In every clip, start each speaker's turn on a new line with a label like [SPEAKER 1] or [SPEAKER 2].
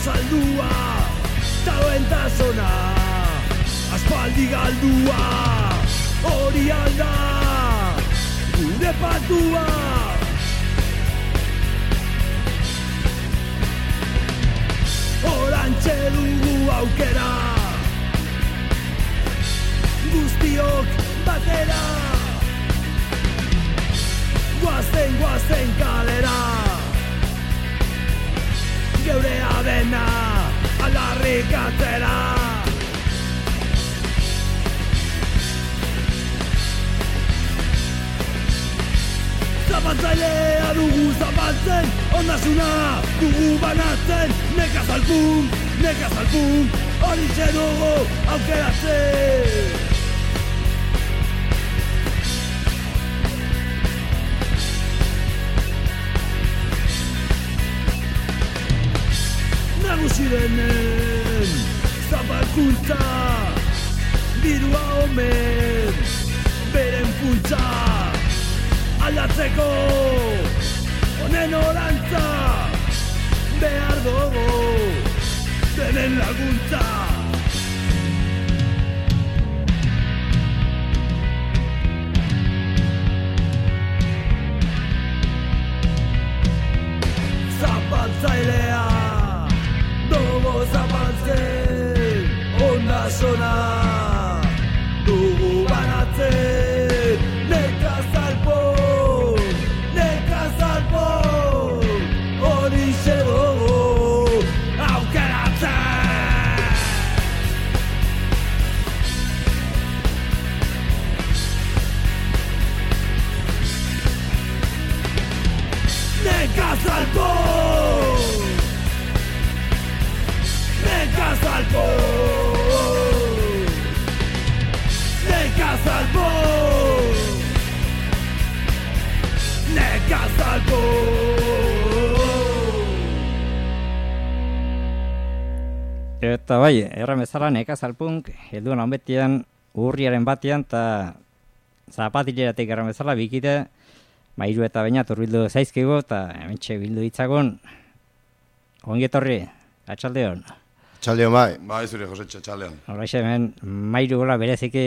[SPEAKER 1] saldua, talentasona, aspaldi galdua, hori alda, gure patua. Orantxe dugu aukera, guztiok batera, guazen kalera, geurea dena aldarrikatzera. Zapatzailea dugu zapaltzen, ondasuna dugu banatzen, nekazalpunk, hori dugu aukeratzen. Nagusi denen zapalkuntza, dirua omen, beren funtza, aldatzeko honen orantza, behar dugu denen laguntza. Zapaltzailea dugu zapaltzen, ondasuna dugu banatzen, nekazalpon, hori dugu aukeratzen.
[SPEAKER 2] Eta bai, erran bezala nekazalpunk, helduan honbetian, urriaren batean, eta zapatileratik erran bezala, bikite, mairu eta bainat urbildu zaizkigu, eta hementxe bildu ditzagun, ongietorri, atxaldeon.
[SPEAKER 3] Atxaldeon bai.
[SPEAKER 4] Bai, zure Josetxe, atxaldeon.
[SPEAKER 2] Hola, hemen, mairu gola bereziki,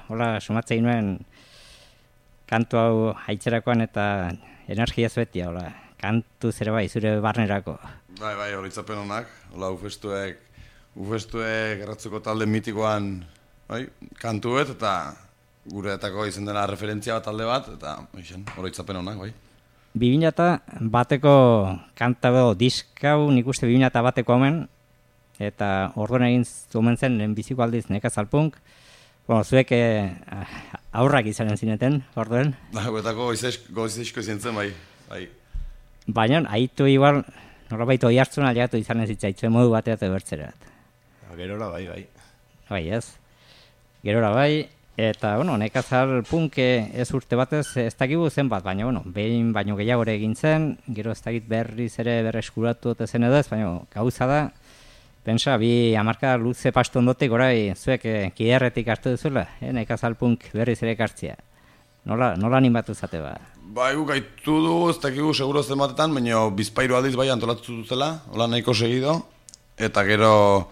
[SPEAKER 2] hola, sumatzei nuen, kantu hau haitzerakoan eta energia zuetia, hola, kantu zere bai, zure barnerako.
[SPEAKER 4] Bai, horitzapen honak, hola, ufestuek erratzuko talde mitikoan, bai, kantuet, eta gureetako izen dena referentzia bat talde bat, eta horitzapen honak, bai.
[SPEAKER 2] 2001ko kanta edo diskau nik uste 2001ko hemen, eta orduan egin zumen zen biziko aldiz nekazalpunk. Bueno, zuek aurrak izanen zineten, orduen.
[SPEAKER 4] Guetako goizizko izan zen, bai.
[SPEAKER 2] Baina, haitu igual, norabait oi hartzuna aliatu izanen zitzaitzuen modu batera eta bertzerat.
[SPEAKER 3] Gerora bai.
[SPEAKER 2] Bai, ez. Gerora bai, eta, bueno, nekazalpunk ez urte batez ez dakigu zenbat, baina, bueno, behin baino gehiago egin zen, gero ez dakit berriz ere berreskuratu zen edo ez, baina gauza da, pensa, bi hamarka luze pastu ondotik, orai, zuek kiderretik hartu duzula, nekazalpunk berriz ere ekartzea. Nola animatu zate ba?
[SPEAKER 4] Bai, gaitu du, ez dakigu seguro zenbatetan, baina bizpairu aldiz bai antolatu dutela, hola nahiko segido, eta gero,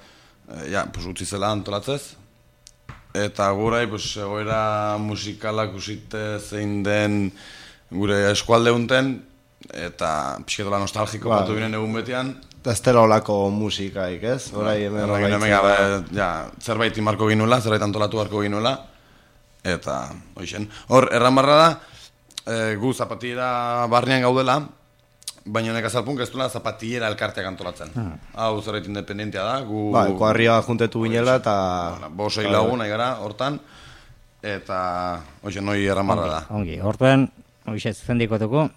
[SPEAKER 4] utzi zela antolatzez. Eta gurai, egoera musikalak usite zein den gure eskualde unten, eta pixketola nostalgiko batu ginen egun betian.
[SPEAKER 3] Eta ez dela olako musikaik, ez?
[SPEAKER 4] Zerbait imarko ginuela, zerbait antolatu harko ginuela. Eta, hor, erran barra da, gu zapatillera barnean gaudela, baina nekazalpunk ez duela zapatillera elkarteak antolatzen. Hau zerbait independentia da, gu...
[SPEAKER 3] Bai, kuarria juntetu ginela eta...
[SPEAKER 4] Bosei lagun nahi gara, hortan, eta, noi erran barra da.
[SPEAKER 2] Ongi, hortan, zuzendikotuko,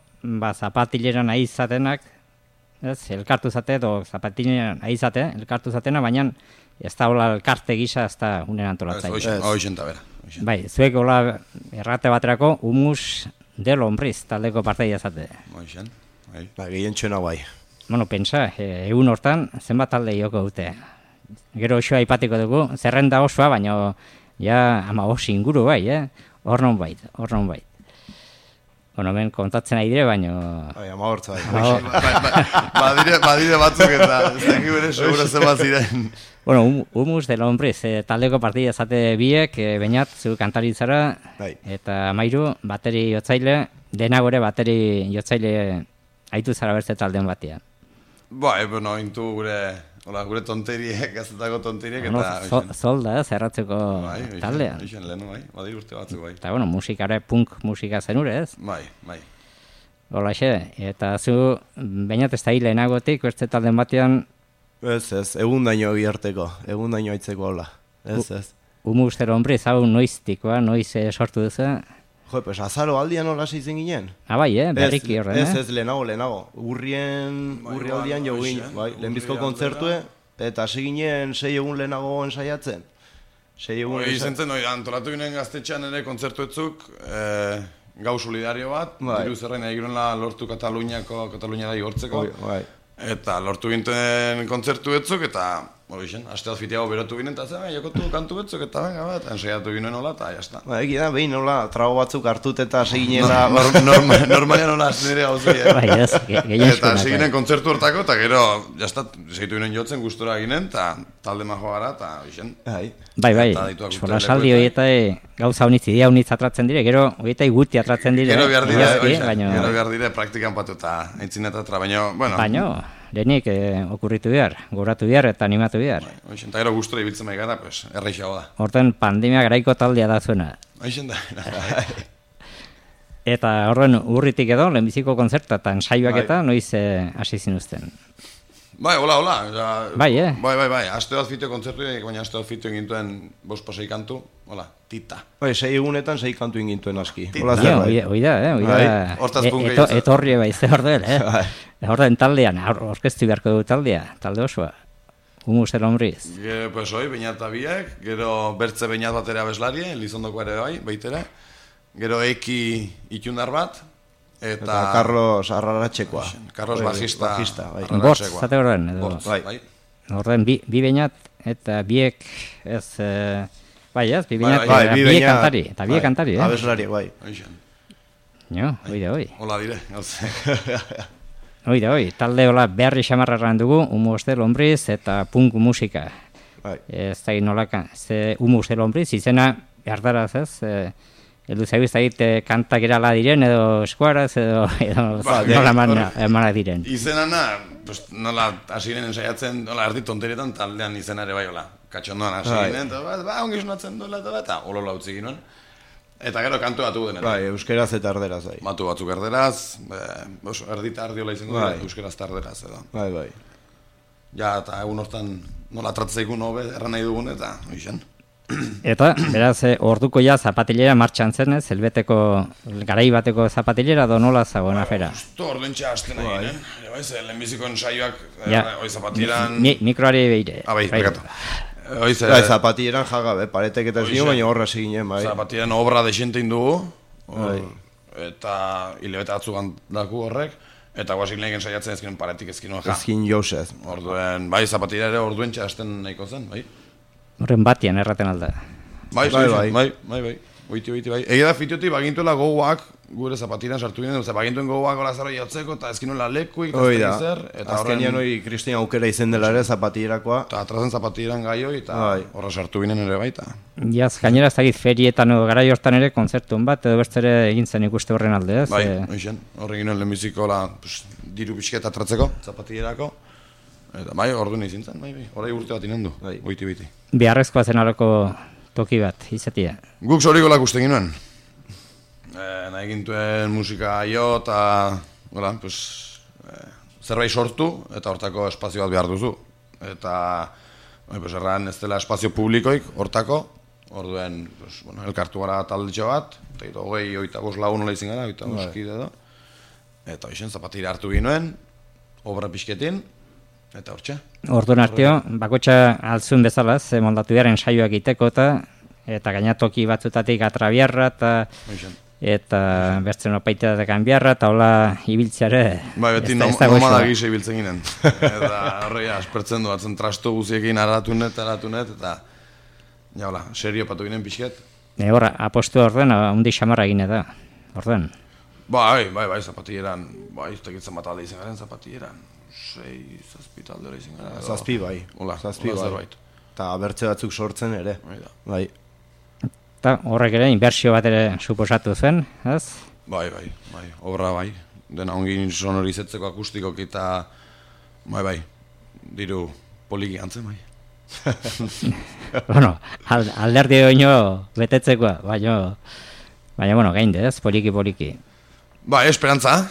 [SPEAKER 2] zapatillera nahi izatenak, elkartu zate, edo zapatillera nahi izate, elkartu zatena, baina ez da hola elkarte gisa ez da unen antolatzaile.
[SPEAKER 4] Hoixen eta bera.
[SPEAKER 2] Bai, zuek hola errate baterako humus del hombriz taldeko parteia zate.
[SPEAKER 4] Hoixen, bai.
[SPEAKER 3] Gehien txena bai.
[SPEAKER 2] Bueno, pentsa, egun hortan zenbat talde joko dute. Gero osoa aipatiko dugu, zerrenda osoa, baina ja 15 inguru bai, hor non bait. Bueno, hemen kontatzen ari dire, baino...
[SPEAKER 3] Bai, amagortza bai.
[SPEAKER 4] Badire batzuk eta ez dakik bere segura zema ziren.
[SPEAKER 2] Bueno, Humus de Lombriz, taldeko partida zate biek, Beñat, zu kantaritzara,
[SPEAKER 3] Bai.
[SPEAKER 2] eta Amairu, bateri jotzaile, dena gore bateri jotzaile aitu zara bertze taldean batean.
[SPEAKER 4] Bai, bueno, intu gure tonteriek, gazetako tonteriek,
[SPEAKER 2] Bueno,
[SPEAKER 4] eta...
[SPEAKER 2] zolda, zerratzeko taldean.
[SPEAKER 4] Bai, lehenu, bai, badir urte batzuk, bai.
[SPEAKER 2] Eta, bueno, musikare punk musika zenure, ez?
[SPEAKER 4] Bai, bai.
[SPEAKER 2] Holaxe, eta zu, Beñat ez da hilenagotik, bertze taldean batean,
[SPEAKER 3] Ez, egun daño biharteko, egun daño aitzeko hola. Ez.
[SPEAKER 2] Humus de Lombriz, hau noiztikoa, noiz sortu duzu?
[SPEAKER 3] Jo, pues azaro aldian hola zeitzen ginen.
[SPEAKER 2] Bai, berriki horren,
[SPEAKER 3] Ez, lehenago. Urri aldian jo ginen, bai, lehenbizko kontzertue, eta hasi ginen 6 egun lehenago ensaiatzen. 6 egun
[SPEAKER 4] Izentzen, antolatu ginen gaztetxean ere kontzertuetzuk, gau solidario bat, diru zerrein egirunla lortu Kataluniara igortzeko.
[SPEAKER 3] Bai.
[SPEAKER 4] Eta lortu ginten kontzertu betzuk, eta aste azfitiago berotu ginen, eta zen, jokotu kantu betzuk, eta venga bat, ensaiatu ginen hola, eta jazta.
[SPEAKER 3] Egi da, behin hola, trago batzuk hartut eta seginela...
[SPEAKER 4] Normalian hola nire hau zui,
[SPEAKER 2] Bai, ez,
[SPEAKER 4] Eta seginen kontzertu hortako, eta gero, jazta, segitu ginen jotzen gustura ginen, eta talde majo gara, eta bixen.
[SPEAKER 2] Bai, solasaldi horieta gauza honitz, idea honitz atratzen dire, gero horieta guti atratzen dire.
[SPEAKER 4] Gero behar dire praktikan patu eta aintzinetatara,
[SPEAKER 2] baino, lehenik okurritu behar, goratu behar eta animatu behar.
[SPEAKER 4] Eta gero gustura ibiltzen bai gara, erreixago da.
[SPEAKER 2] Horten pandemia garaiko taldea da zuena.
[SPEAKER 4] Aixen da.
[SPEAKER 2] Eta horren urritik edo, lehenbiziko kontzerta eta ensaioak eta noiz hasi zinuzten.
[SPEAKER 4] Bai, hola.
[SPEAKER 2] Bai,
[SPEAKER 4] Bai. Aste bat fitio kontzertu, baina aste bat fitio egintuen 5-6 kantu, hola, tita.
[SPEAKER 3] Bai, 6 egunetan 6 kantu egintuen aski.
[SPEAKER 2] Oida, etorri baize orduel, Horren taldean, orkestu beharko dugu talde osoa. Humus de Lombriz.
[SPEAKER 4] Pues hoi, Beñat biek, gero bertze Beñat batera abeslari, Lizondoko ere bai, baitere. Gero Eki itundar bat, eta
[SPEAKER 3] Carlos Arraratxekoa.
[SPEAKER 4] Carlos bajista.
[SPEAKER 2] Bortz, zate horren, edo.
[SPEAKER 4] Bai.
[SPEAKER 2] Horren, bi Beñat eta biek ez... Bai, ez, bi Beñat, biek kantari. Eta biek kantari,
[SPEAKER 3] Abeslari, bai.
[SPEAKER 2] Jo, hoi.
[SPEAKER 4] Hola dire, gauze.
[SPEAKER 2] Hoi, talde hola beharri xamarrarran dugu, Humus de Lombriz eta punk musika. Ez da nolaka, Humus de Lombriz, izena erdaraz ez, heldu zaigu ez da kantak erala diren, edo eskuaraz, edo nola emana diren.
[SPEAKER 4] Izenana, nola hasi ginen ensaiatzen, nola erdi tonterietan taldean izenare bai, hola, katxondoan hasi ginen, eta ongi sonatzen duela, eta olola utzi ginen. Eta gero kantu batu denetan.
[SPEAKER 3] Bai, euskeraz eta erderaz, bai.
[SPEAKER 4] Batu batzuk erderaz, erdita ardiola izango dira, euskeraz eta erderaz, edo.
[SPEAKER 3] Bai.
[SPEAKER 4] Ja, eta egun hortan nola tratzeikun hobe erran nahi dugun, eta oixen.
[SPEAKER 2] Eta, beraz, orduko ja zapatilera martxan zen, ez? Helbeteko, garai bateko zapatilera, do nola zagoen afera?
[SPEAKER 4] Justo ordentxa hasten nahi ginen. Lehenbiziko ensaioak, hoi zapatiran...
[SPEAKER 2] Mikroari behire.
[SPEAKER 4] Bai, bekatu.
[SPEAKER 3] Zapatieran jagabe, paretek eta zinu, baina horra ziginen, bai.
[SPEAKER 4] Zapatieran obra desente indugu, eta hilebete atzugan daku horrek, eta guazik lehiken saiatzen ezkinen paretik ezkinen ja.
[SPEAKER 3] Ezkin jauzez.
[SPEAKER 4] Orduen, bai, zapatira ere orduen txasten nahiko zen, bai.
[SPEAKER 2] Horren batian erraten alda.
[SPEAKER 4] Bai, oiti, bai. Ega da fitiotik bagintuela gogoak, gure zapatiran sartu ginen, bagintuen gogoak hola zara jotzeko, eta ezkinuela lekuik, eta zer.
[SPEAKER 3] Azkenian hori Kristina aukera izen dela ere zapatirakoa.
[SPEAKER 4] Eta atrazen zapatiran gaioi, eta horra sartu ginen ere baita.
[SPEAKER 2] Jaz, gainera ez dakit ferietan edo garai hortan ere kontzertun bat, edo bertzere egin zen ikuste horren alde, ez?
[SPEAKER 4] Bai, oixen, horre ginen lehenbiziko diru pixket atratzeko, zapatirako. Eta bai, ordu nahi zintzen, bai, horai urte bat inendu, oiti.
[SPEAKER 2] Beharrezkoa zen alako toki bat, izatea.
[SPEAKER 4] Guk zoriko lakusten ginoen. Nahi gintuen musika jo eta zerbait sortu eta hortako espazio bat behar duzu. Eta erran ez dela espazio publikoik hortako, orduen elkartu gara taldetxo bat, eta 25 lagun nola izin gara, 25 kide edo. Eta hoxen zapatira hartu ginoen, obra pixketin, eta hortxe.
[SPEAKER 2] Orduan arteo, bakotxa altzun bezalaz, moldatu beharen saioak egiteko eta gainatoki batzutatik atrabiarra eta bertzen opaiteatek anbiarra eta hola ibiltzeare.
[SPEAKER 4] Bai, beti nomada gisa ibiltzen ginen. Eta horrega, aspertzen du, atzen trasto guziekin aratunet, eta ja, serio patu ginen pixket.
[SPEAKER 2] Horra, apostu orden, hundi xamarra gine da, orden.
[SPEAKER 4] Bai, zapatilleran, ez dakit zenbat alde izan garen zapatilleran. 6-7 talde hori izan gara.
[SPEAKER 3] Zazpi bai.
[SPEAKER 4] Hola,
[SPEAKER 3] Zazpi bai.
[SPEAKER 4] zerbait.
[SPEAKER 3] Eta bertze batzuk sortzen ere. Bai.
[SPEAKER 2] Eta horrek ere inbertsio bat ere suposatu zen, ez?
[SPEAKER 4] Bai, obra bai. Dena ongin sonorizetzeko akustikoki eta bai, diru poliki antzen bai.
[SPEAKER 2] Bueno, alderdi oino betetzekoa, baina bueno, gainde, ez? Poliki.
[SPEAKER 4] Ba, esperantza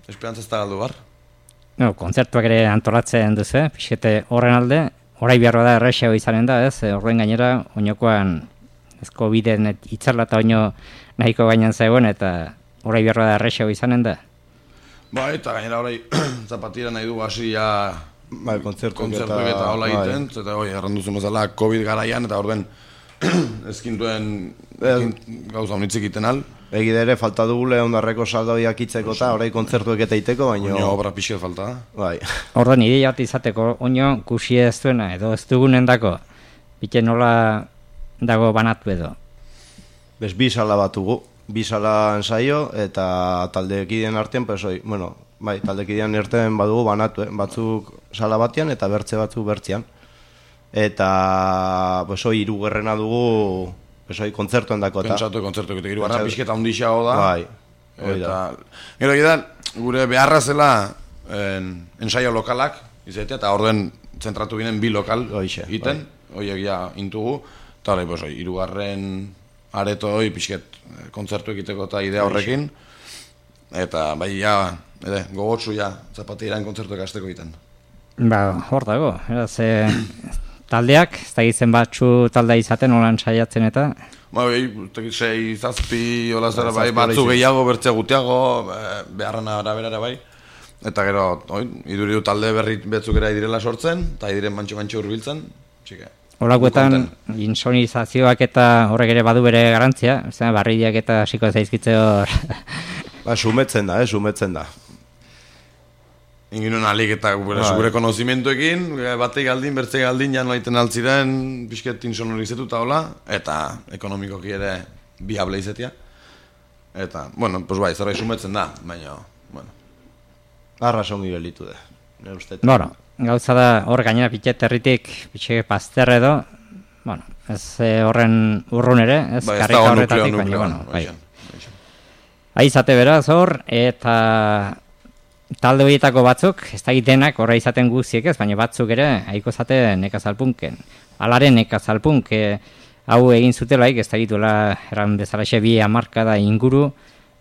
[SPEAKER 4] ez da galdu bar.
[SPEAKER 2] No, kontzertuak ere antolatzen duzu, pixete horren alde, orai behar da errexeo izanen da, ez? Horren gainera, oinokoan, ez COVID-en itzarla eta oino nahiko gainan zegoen, eta orai behar da errexeo izanen da.
[SPEAKER 4] Ba, eta gainera orai zapatira nahi du hasi ja
[SPEAKER 3] Bai, kontzertuak
[SPEAKER 4] eta hola egiten, eta erranduzen bezala COVID garaian, eta orden ezkintuen gauza honitzik egiten al.
[SPEAKER 3] Egide ere, falta dugule ondarreko saldoiak itzeko eta orai kontzertuek eta iteko, baina...
[SPEAKER 4] Oino obra pixet falta.
[SPEAKER 3] Bai.
[SPEAKER 2] Orduan, ideia bat izateko, oino kusi ez duena, edo ez dugunen dako, bite nola dago banatu edo.
[SPEAKER 3] Bez, bi sala batugu, bi sala ensaio, eta taldekideen artean, taldekideen artean badugu banatu, batzuk sala batean eta bertze batzuk bertzean. Eta, hirugarrena dugu, kontzertuen dako eta...
[SPEAKER 4] Pentsatu kontzertuek eta hirugarra pixketa ondixago da.
[SPEAKER 3] Bai,
[SPEAKER 4] eta... Gero egidan, gure beharra zela ensaio lokalak, izatea, eta orduen zentratu ginen bi lokal egiten, horiek ja intugu, eta hori, hirugarren areto hori pixket kontzertu egiteko eta idea horrekin, eta bai, gogotsu zapateiran kontzertuek hasteko egiten.
[SPEAKER 2] Ba, hor dago, taldeak, ez da gizen batzu taldea izaten, holan saiatzen eta...
[SPEAKER 4] Bai, 6-7 hola zera bai, batzu gehiago, bertzea gutiago, beharrana arabera bai. Eta gero, iduridu talde berri betzuk era idirela sortzen, eta idiren mantxo hurbiltzen, txike.
[SPEAKER 2] Holakoetan, insonizazioak eta horrek ere badu bere garantzia, barriak eta hasiko zaizkitze hor...
[SPEAKER 3] Ba, sumetzen da.
[SPEAKER 4] Inginen alik eta gure konozimentuekin, batei galdin, bertzei galdin, jan laiten altziren, pixket insonorizetu eta hola, eta ekonomikoki ere biable izetia. Eta, zerbait sumetzen da, baina,
[SPEAKER 3] Arras ongi gelitu da, nire ustetan.
[SPEAKER 2] Bueno, gauza da hor gainera pitxet herritik, pitxe pazter edo, ez horren urrun ere, ez karrika horretatik, baina, Aizate beraz hor, eta... Talde horietako batzuk, ez da egitenak horra izaten guztiek ez, baina batzuk ere haiko zate nekazalpunken. Alaren nekazalpunk hau egin zutelaik, ez da egituela eran bezalaxe 2 hamarkada inguru,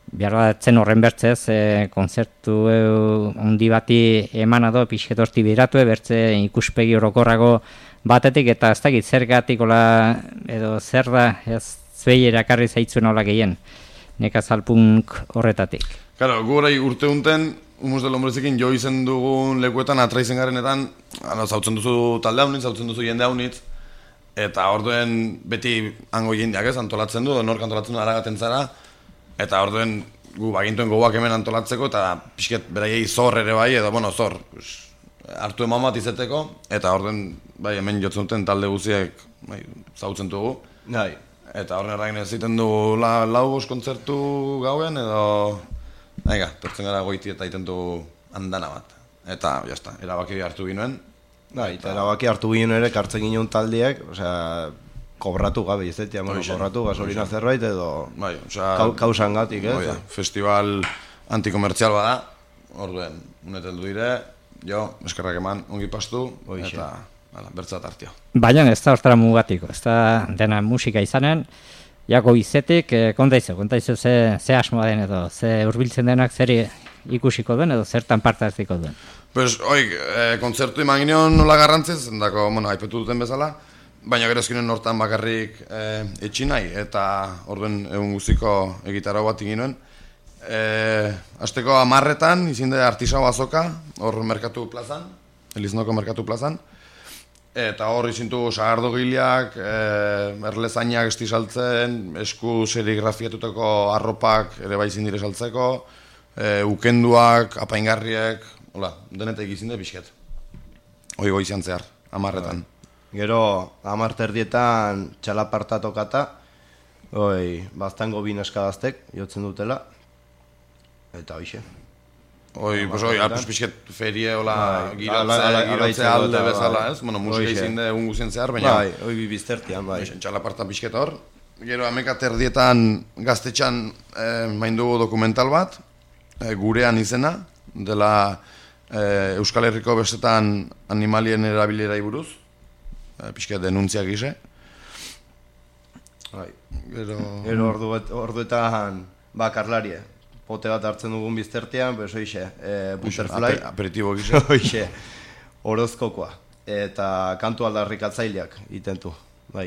[SPEAKER 2] behar batzen horren bertzez, konzertu handi bati eman ado, pixket horti biratu, bertze ikuspegi orokorrago batetik, eta ez da egit zergatik edo zer da ez zuei erakarri zaitzuen hola gehien nekazalpunk horretatik.
[SPEAKER 4] Claro, gurai urte unten, Humus del Hombrezekin jo izen dugun lekuetan atraizen garenetan, zautzen duzu talde haunitz, zautzen duzu jende haunitz, eta orduen beti hango jendeak ez, antolatzen du, nork antolatzen du aragaten zara, eta orduen gu bagintuen gogoak hemen antolatzeko, eta pixket beraiei zor ere bai, edo zor, hartu eman bat izeteko, eta orduen hemen jotzen duten talde guziek zautzen dugu. Eta orduen erragin ez ziten du lau kontzertu gauen, edo... Tortzen gara goiti eta iten du andana bat. Eta, jazta, erabaki hartu ginoen.
[SPEAKER 3] Eta erabaki hartu ginen ere, kartzen ginen taldeak, kobratu gabe, izetia, kobratu gasolina zerbait edo kausan gatik, ez?
[SPEAKER 4] Festival antikomertzial bada, orduen, uneteldu dire, eskerrak eman, ongi pastu, eta bertzat hartio.
[SPEAKER 2] Baina ez da hortara mugatiko, ez da dena musika izanen, izetik, kontaizu ze asmoa den edo, ze hurbiltzen denak zer ikusiko duen edo zertan parte hartziko duen.
[SPEAKER 4] Kontzertu eman gineon nola garrantziz, endako, haipetu duten bezala, baina gero ezkinen hortan bakarrik etxin nahi, eta orduen egun guztiko egitarau bat ginoen. Azteko 10:00 izinde artisau azoka, hor merkatu plazan, Eliznoko merkatu plazan, eta hor izintu sagardogileak, erlezainak esti saltzen, esku serigrafiatutako arropak ere bai zindire saltzeko, ukenduak, apaingarriek, denetek izinde pixket. Hoi goizian zehar, 10:00.
[SPEAKER 3] Gero 10:00 txalaparta tokata, baztango 2 neskadaztek jotzen dutela, Eta hoxe.
[SPEAKER 4] Pues pixket ferie, hola, girotzea alde bezala, ez? Bueno, musika izin de egun guzien zehar, baina...
[SPEAKER 3] Bai, hoi biztertian, bai.
[SPEAKER 4] Txalaparta pixket hor. Gero, amekat erdietan gaztetxan maindugu dokumental bat, gurean izena, dela Euskal Herriko bestetan animalien erabilerai buruz, pixket denuntziak gise.
[SPEAKER 3] Bai. Gero orduetan bakarlarie. Pote bat hartzen dugun biztertean, pues hoxe, butterfly.
[SPEAKER 4] Aperitibo gisa.
[SPEAKER 3] Hoxe, orozkokoa. Eta kantu aldarrik atzaileak itentu, bai.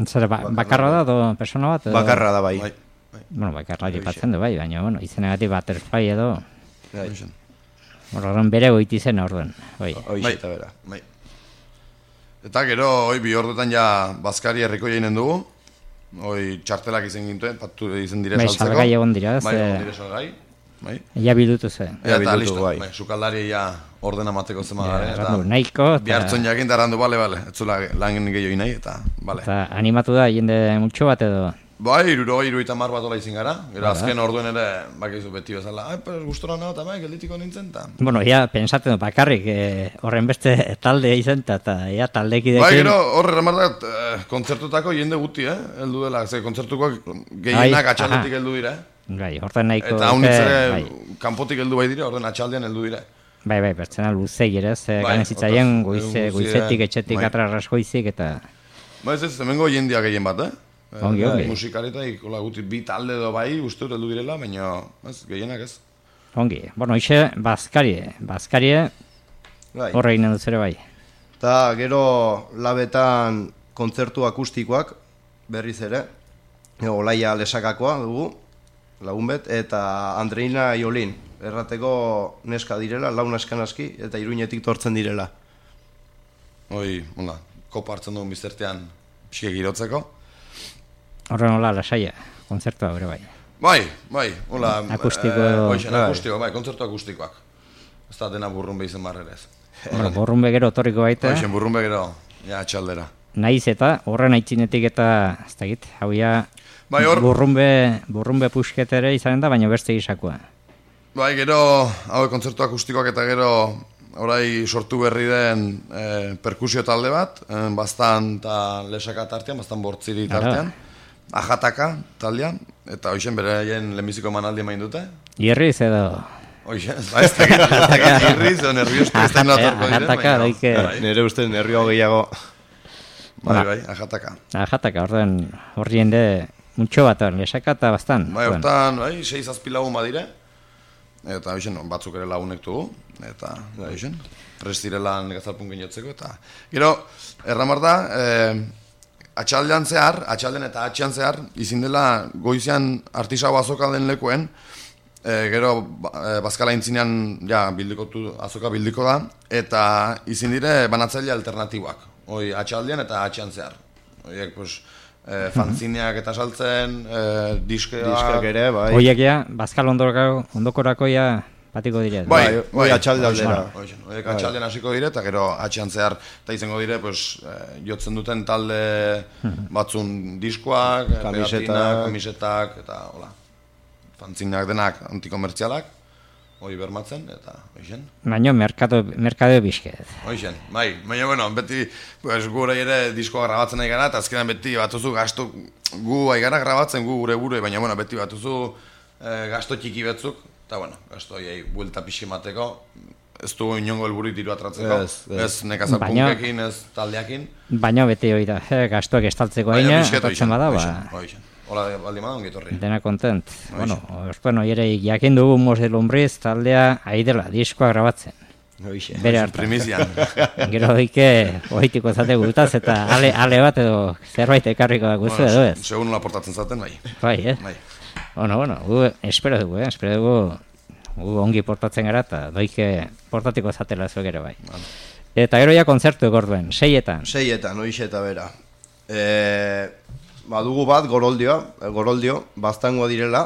[SPEAKER 2] Zer, bakarra da, edo persona bat? Edo?
[SPEAKER 3] Bakarra da, bai.
[SPEAKER 2] Bueno, bakarra jipatzen du, bai, baina, bueno, izenagatik butterfly edo...
[SPEAKER 3] Bai.
[SPEAKER 2] Horren bere goiti zen orduen, bai.
[SPEAKER 3] Hoxe eta bera.
[SPEAKER 4] Bai. Eta gero, bi orduetan ja Bazkari herriko jainen dugu. Txartelak izen gintuen, patu izen dire saltzeko.
[SPEAKER 2] Salgai egon dira,
[SPEAKER 4] Bai, egon dire salgai. Bai.
[SPEAKER 2] Ia bildutu ze.
[SPEAKER 4] Eta listo, bai. Sukaldari ja ordena mateko zema gare.
[SPEAKER 2] Eta nahiko.
[SPEAKER 4] Bihartzon jakin da errandu, bale. Ez zula lan gehiago nahi, eta bale.
[SPEAKER 2] Eta animatu da jende multxo bat edo?
[SPEAKER 4] Bai, 70 bat ola izin gara. Gero azken orduen ere, bakizu beti bezala, gustora nago eta bai, gelditiko nintzen, eta...
[SPEAKER 2] Bueno, ja, pensatzen du, bakarrik, horren beste talde izan, eta ja, taldekidekin...
[SPEAKER 4] Bai, gero, horre remartat, kontzertutako jende guti, heldu dela, ze kontzertukoak gehienak atxaldetik heldu dira,
[SPEAKER 2] Bai, horren nahiko...
[SPEAKER 4] Eta haunitzere, kanpotik heldu bai dire, orden atxaldean heldu dire.
[SPEAKER 2] Bai, pertsona luzei ere, ganezitzaien goizetik, etxetik, atrarras goizik, eta...
[SPEAKER 4] Ba, ez, hemengo jendia gehien bat,
[SPEAKER 2] Ongi.
[SPEAKER 4] Musikarietaik, guti, bi talde edo bai, uste dut heldu direla, baina gehienak ez.
[SPEAKER 2] Ongi, bueno, hoxe, Bazkarie, horre egin duz ere bai.
[SPEAKER 3] Eta gero labetan kontzertu akustikoak, berriz ere, Olaia Lesakakoa dugu, lagunbet, eta Andreina Iolin, errateko neska direla, lau neskan aski, eta Iruñetik tortzen direla.
[SPEAKER 4] Kopa hartzen dugun biztertean pixke girotzeko.
[SPEAKER 2] Horren hola, lasaia, kontzertua bere bai.
[SPEAKER 4] Bai, hola...
[SPEAKER 2] Akustiko...
[SPEAKER 4] kontzertu akustikoak. Ez da dena burrunbe izen barrerez.
[SPEAKER 2] Bueno, burrunbe gero otorriko baita.
[SPEAKER 4] Burrunbe gero, atxaldera.
[SPEAKER 2] Naiz eta, horren aitzinetik eta, ez da git, hau ja... Burrunbe pusketere izanen da, baina beste gisakoa.
[SPEAKER 4] Bai, gero, hau kontzertu akustikoak eta gero... Horai sortu berri den perkusio talde bat, Baztan eta Lesaka tartean, Baztan Bortziri tartean, Ajataka taldean, eta hoxen beraien lehenbiziko emanaldi emain dute.
[SPEAKER 2] Irriz edo...
[SPEAKER 4] Hoxen, ez dakit irriz edo nerviostu ez da inatorko diren.
[SPEAKER 2] Ajataka, daike...
[SPEAKER 3] Nere uste nervio gehiago.
[SPEAKER 4] Bai, Ajataka.
[SPEAKER 2] Ajataka, horri jende muntxo bat, Lesaka eta Baztan.
[SPEAKER 4] Bai, hortan, 6-7 lagun badire. Eta hoxen, batzuk ere lagunek dugu, eta hoxen, prestirela negazalpun ginotzeko, eta... Gero, erramar da, atxaldean eta atxean zehar, izin dela goizean artisau azoka den lekuen, gero, Bazkala intzinean, azoka bildiko da, eta izin dire banatzaile alternatiboak, atxaldean eta atxean zehar. Horiek, pues... fanzineak eta saltzen, diskak
[SPEAKER 3] ere, bai.
[SPEAKER 2] Oiek ja, Bazkal ondokorako ja batiko dire.
[SPEAKER 3] Bai, atxalde aldera.
[SPEAKER 4] Oiek atxaldean hasiko dire, eta gero atxean zehar, eta izango dire, jotzen duten talde batzun diskoak, kamisetak, eta hola. Fanzineak denak antikomertzialak, hori bermatzen, eta hoixen.
[SPEAKER 2] Baina merkado bizket.
[SPEAKER 4] Hoixen, bai. Baina, bueno, beti gure ere diskoa grabatzen nahi gara, eta azkenan beti batuzu gasto gu aigara grabatzen gu gure, baina, bueno, beti batuzu gasto txiki betzuk, eta, bueno, gasto hiei buelta pixi mateko, ez du inongo helbururik diru atratzeko, ez nekazal punkekin, ez taldeakin.
[SPEAKER 2] Baina beti hori da, gastoak estaltzeko haina, atratzen bada,
[SPEAKER 4] Hoixen. Hola, baldi madan, ongitorri.
[SPEAKER 2] Dena kontent. Bueno, ere jakin dugu Mose Lombriz taldea aidela, diskoa grabatzen. Bere hartan.
[SPEAKER 4] Primizian.
[SPEAKER 2] Gero ohitiko zate gutaz, eta ale bat edo zerbait ekarriko guzu edo ez.
[SPEAKER 4] Segun nola portatzen zaten, bai.
[SPEAKER 2] Bai, Bueno, gu espero dugu, gu ongi portatzen gara, eta doike portatiko zatela zuek ere bai. Eta gero ja kontzertu egorduen, 6etan.
[SPEAKER 3] 6etan, hoixe eta bera. Badugu bat, Goroldio, Baztangoa direla,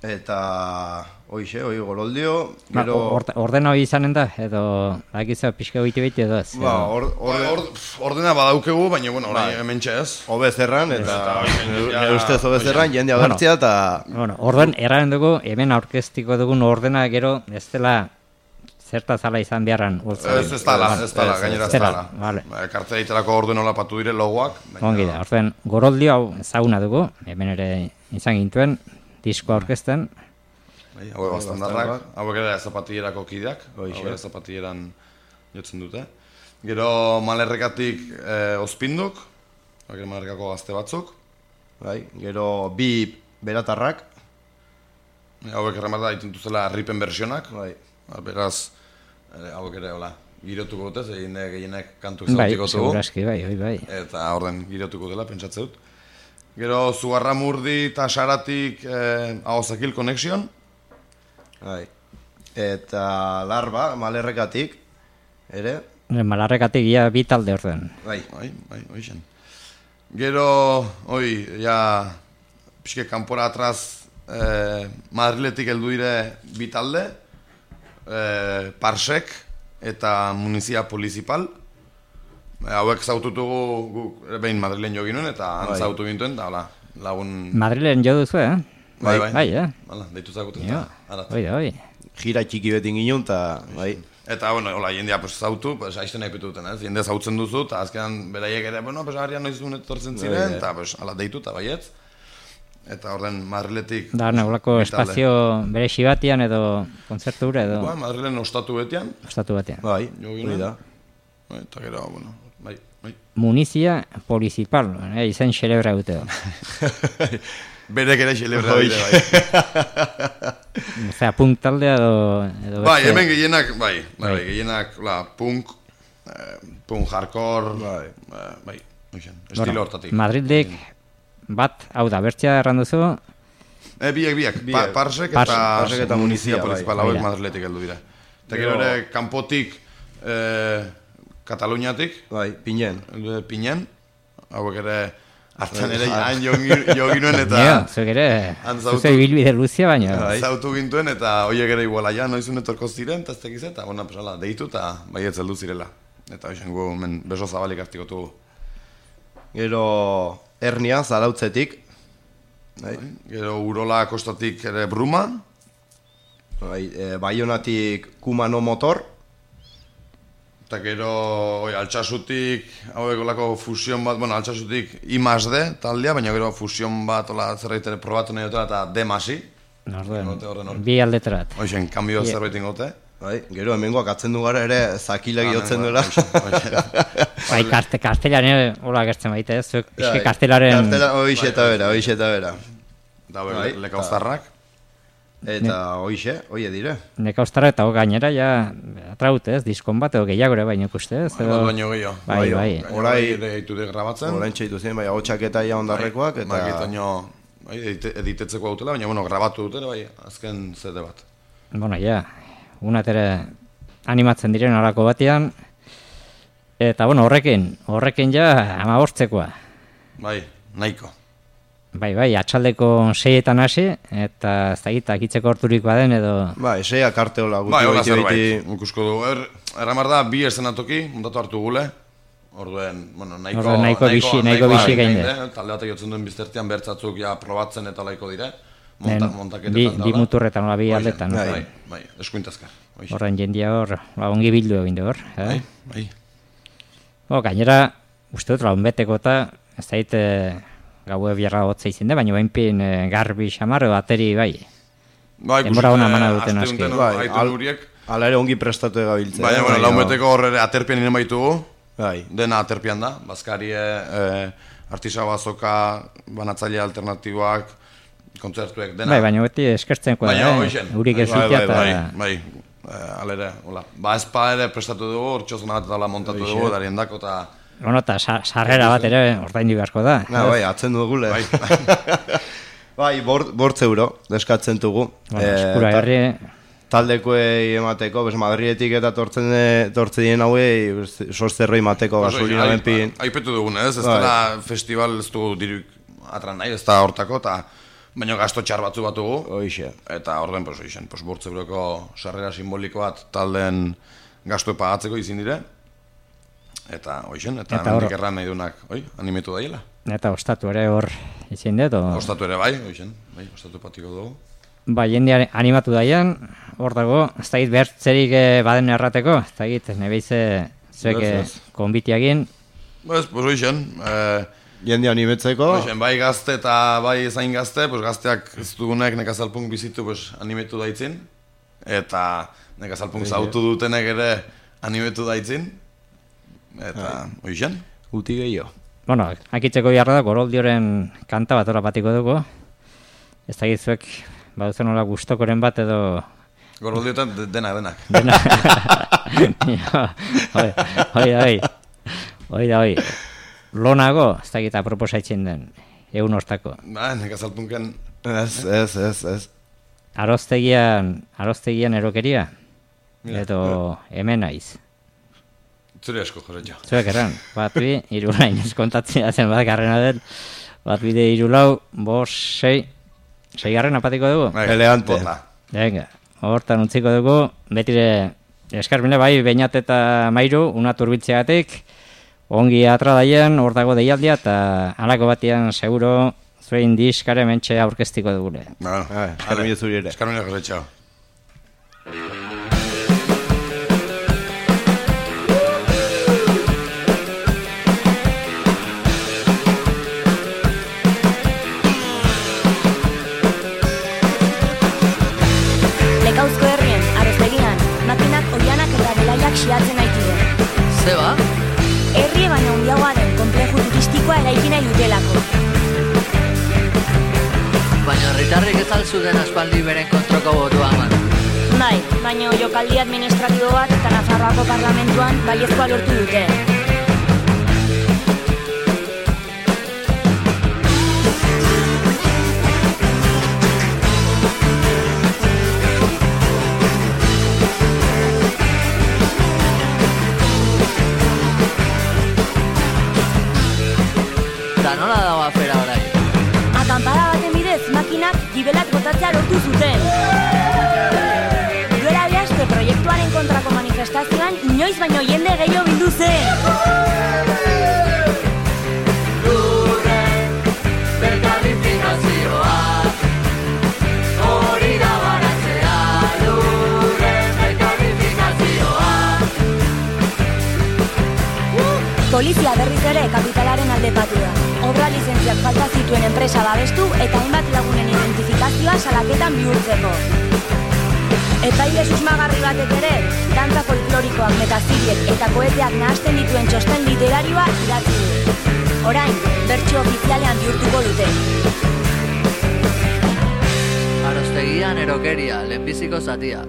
[SPEAKER 3] Eta hoi goroldio,
[SPEAKER 2] Ba,
[SPEAKER 3] gero...
[SPEAKER 2] ordena hori izanen da, edo akizua pixka goiti edo ez?
[SPEAKER 3] Ba,
[SPEAKER 4] ordena badaukegu, baina, bueno, hemen ez.
[SPEAKER 3] Obezerran, eta nire ustez obezerran, jende agertzea, eta...
[SPEAKER 2] Bueno, orden, erraren dugu, hemen aurkeztiko dugun ordena gero, ez dela zerta zala izan beharran.
[SPEAKER 4] Ez dala, gainera ez dala.
[SPEAKER 2] Vale.
[SPEAKER 4] Kartzea itelako orden hola patu dire logoak.
[SPEAKER 2] Ongi da, orden, goroldio hau ezaguna dugu, hemen ere izan gintuen, disko aurkezten.
[SPEAKER 4] Hauek bastandarrak, hauek ere zapatillerako kideak, hauek ere zapatilleran jotzen dute. Gero malerrekatik ospinduk, hauek ere malerrekako gazte batzuk.
[SPEAKER 3] Gero bi beratarrak.
[SPEAKER 4] Hauek erremarda dituzela ripen versionak. Beraz, hauek ere hola, girotuko dute, gehienek kantu zautiko dugu.
[SPEAKER 2] Seguraski, bai.
[SPEAKER 4] Eta orden girotuko dela, pentsatze dut. Gero Zugarramurdi eta Saratik Ahozakil Connection.
[SPEAKER 3] Eta Larba, malerrekatik, ere.
[SPEAKER 2] Malarrekatik ia bi talde orden.
[SPEAKER 4] Bai, hoixen. Gero, ja, pixke kanpora atraz Madriletik heldu dire bi talde, Parsek eta Munizia Polizipal. Hauek zaututugu guk behin Madrilen jo ginuen eta han zautu gintuen, da, lagun...
[SPEAKER 2] Madrilen jo duzu,
[SPEAKER 4] Bai,
[SPEAKER 2] Hala,
[SPEAKER 4] deitu zakuten.
[SPEAKER 2] Oi.
[SPEAKER 3] Gira txiki betin ginen, eta bai.
[SPEAKER 4] Eta, bueno, jendea zautu, aizten nahi petuten, ez? Jende zautzen duzu, eta azkenan beraiek ere, bueno, harrian noiz duen etortzen ziren, eta hala deitu, eta baietz. Eta horren Madriletik...
[SPEAKER 2] Da, nagolako espazio bere xibatian edo kontzertu gure edo...
[SPEAKER 4] Madrilen ostatu betian.
[SPEAKER 3] Bai, hori da.
[SPEAKER 4] Eta gero, bueno, bai.
[SPEAKER 2] Munizia Polizipal, izen xelebra dute.
[SPEAKER 4] Berek ere xelebra dute, bai.
[SPEAKER 2] Osea, punk taldea edo...
[SPEAKER 4] Bai, hemen gehienak, gehienak, punk hardcore, bai, estilo hortatik.
[SPEAKER 2] Madrildik bat, hau da, bertzea erranduzu?
[SPEAKER 4] Biak, Parsek eta Munizia Polizipal hauek Madriletik heldu dira. Eta gero ere, kanpotik, Kataluniatik, Pinen, hauek ere, hartzen ere, hain jo ginuen eta...
[SPEAKER 2] Zuek ere, zuze bilbide luzia baina.
[SPEAKER 4] Zautu gintuen eta horiek ere iguala, ja, noizun etorko ziren, eta ez tekiz eta, bueno, pesala, deitu eta baietz heldu zirela. Eta hoxen gu, beso zabalik hartikotu.
[SPEAKER 3] Gero, Hernia, Zarautzetik.
[SPEAKER 4] Gero, Urola kostatik ere Bruma.
[SPEAKER 3] Baionatik Kumano Motor.
[SPEAKER 4] Eta gero, Altsasutik, hauek olako fusion bat, bueno, Altsasutik I+D taldea, baina gero fusion bat, zerbait ere probatu nahi dutela, eta D+I.
[SPEAKER 2] Bi aldetarat.
[SPEAKER 4] Hoxen, kanbio zerbait ingote.
[SPEAKER 3] Gero, hemengoak atzen du gara ere, zakilak jotzen duela.
[SPEAKER 2] Bai, kartelan ere, hola gertzen baita ez, zuek pixke kartelaren...
[SPEAKER 3] Hoixe eta bera.
[SPEAKER 4] Da, lekauztarrak.
[SPEAKER 3] Eta hoixe dire.
[SPEAKER 2] Nekauztarra eta gainera, ja, atraute ez, diskon bat, edo gehiago ere baino ikuste ez.
[SPEAKER 4] Baino gehiago.
[SPEAKER 2] Bai.
[SPEAKER 4] Horai deitu de grabatzen.
[SPEAKER 3] Horain txaitu ziren, bai, hotxak eta ia ondarrekoak, eta...
[SPEAKER 4] Bai, editetzeko autela, baina, bueno, grabatu dute, bai, azken CD bat.
[SPEAKER 2] Bueno, ja, unatere animatzen diren horako batean, eta, bueno, horrekin ja, 15-koa.
[SPEAKER 4] Bai, nahiko.
[SPEAKER 2] Bai, atxaldeko 6etan hasi, eta ez da akitzeko horturik baden edo...
[SPEAKER 3] Bai, 6ak arte hola guti.
[SPEAKER 4] Bai, hola zerbait, ikusko du. Erramar da, 2 eszenatoki, montatu hartu gule. Orduen, bueno, nahiko bixi gain de. Talde batek jotzen duen biztertian bertzatzuk ja probatzen eta laiko dire. Montaketetan da.
[SPEAKER 2] Bi muturretan, bi aldetan.
[SPEAKER 4] Bai, eskuintazkar.
[SPEAKER 2] Horren jendia hor, ongi bildu egin du hor.
[SPEAKER 4] Bai.
[SPEAKER 2] Gainera, uste dut, launbeteko eta, ez da gaue biarra hotza izin da, baina bainpin garbi xamar, bateri bai. Denbora hona mana duten aski.
[SPEAKER 3] Hala ere ongi prestatu egabiltzea.
[SPEAKER 4] Baina, bueno, launbeteko horre aterpian inen baitugu. Dena aterpian da. Baskarie, artisau azoka, banatzaile alternatiboak, kontzertuek, dena.
[SPEAKER 2] Bai, baina beti eskertzenko da, urik ez zutia eta...
[SPEAKER 4] Bai, alere, hola. Ba, ezpa ere prestatu dugu, hortxozuna bat eta montatu dugu, darien dako eta...
[SPEAKER 2] Bueno, eta sarrera bat ere ordaindu beharko da.
[SPEAKER 3] Bai, atzen dugule. Bai, €8 deskatzen dugu.
[SPEAKER 2] Eskura herri...
[SPEAKER 3] Taldekoei emateko, Madriletik eta tortzen dien hauei, sozterroi mateko gasolina benpin.
[SPEAKER 4] Aipetu dugun, ez dela festival ez dugu diruk atran nahi, ez da hortako, eta baina gasto txar batzu batugu.
[SPEAKER 3] Hoixe.
[SPEAKER 4] Eta orden, pues, oixen, pues, 5 euroko sarrera simboliko bat taldeen gastu pagatzeko izin dire. Eta hoixen, eta mendik erran nahi dunak, animetu daiela.
[SPEAKER 2] Eta ostatu ere hor izin dut?
[SPEAKER 4] Ostatu ere bai, hoixen, bai, ostatu patiko dugu.
[SPEAKER 2] Ba, jende animatu daian, hor dago, ez da bertzerik baden errateko, ez da nebeize zuek konbitiagin.
[SPEAKER 4] Pues hoixen,
[SPEAKER 3] jende animetzeko.
[SPEAKER 4] Hoixen, bai gazte eta bai zain gazte, pues gazteak ez dugunek nekazalpunk bizitu, pues animetu daitzin. Eta nekazalpunk zautu dutenek ere animetu daitzin. Eta, hoixen?
[SPEAKER 3] Uti gehiago.
[SPEAKER 2] Bueno, akitzeko jarra da, Goroldioren kanta bat batiko dugu. Ez da gizuek, baduzen hola gustokoren bat edo...
[SPEAKER 4] Goroldiotan denak.
[SPEAKER 2] Hoi. Lonago, ez da gita proposaitzen den, egun hortako.
[SPEAKER 4] Ba, nekazalpunken...
[SPEAKER 3] Ez.
[SPEAKER 2] Aroztegian erokeria? Edo hemen naiz.
[SPEAKER 4] Zure asko, Joretxo.
[SPEAKER 2] Zuek erran, bat bi, irulain kontatzea zen bat garrena den, bat bide 3, 4, 5, 6, 6 apatiko dugu?
[SPEAKER 3] Elegante.
[SPEAKER 2] Venga, hortan utziko dugu, betire eskarmile bai, Beñat eta Mairu, una turbitzeagatik, ongi atra daien, hor dago deialdia, eta halako batian seguro zuen diskare mentxe aurkeztiko dugule.
[SPEAKER 3] Eskarmile zuri ere.
[SPEAKER 4] Eskarmile Joretxo.
[SPEAKER 5] Lekauzko herrien, Aroztegian, makinak oianak eta belaiak xiatzen aitide.
[SPEAKER 6] Zeba?
[SPEAKER 5] Herri baina handiagoa den konpleju turistikoa eraiki nahi dutelako.
[SPEAKER 6] Baina herritarrik ez alzuden aspaldi beren kontroko botua eman.
[SPEAKER 5] Bai, baina jokaldi administratibo bat eta Nafarroako parlamentuan baiezkoa lortu dute.
[SPEAKER 6] Eta nola dago afera orai?
[SPEAKER 5] Akampada baten bidez, makinak gibelak botatzea lortu zuten. Duela bi aste proiektuaren kontrako manifestazioan inoiz baino jende gehiago bildu zen.
[SPEAKER 6] Lurren, berkalifikazioa, hori da baratzea. Lurren, berkalifikazioa.
[SPEAKER 5] Polizia berriz ere kapitalaren alde patu da. Obra lizentziak falta zituen enpresa babestu eta hainbat lagunen identifikazioa salaketan bihurtzeko. Epaile susmagarri batek ere, dantza folklorikoak, metaziriek eta koeteak nahasten dituen txosten literarioa idatzi du. Orain, bertsio ofizialean bihurtuko dute.
[SPEAKER 6] Aroztegian erokeria, lehenbiziko zatia.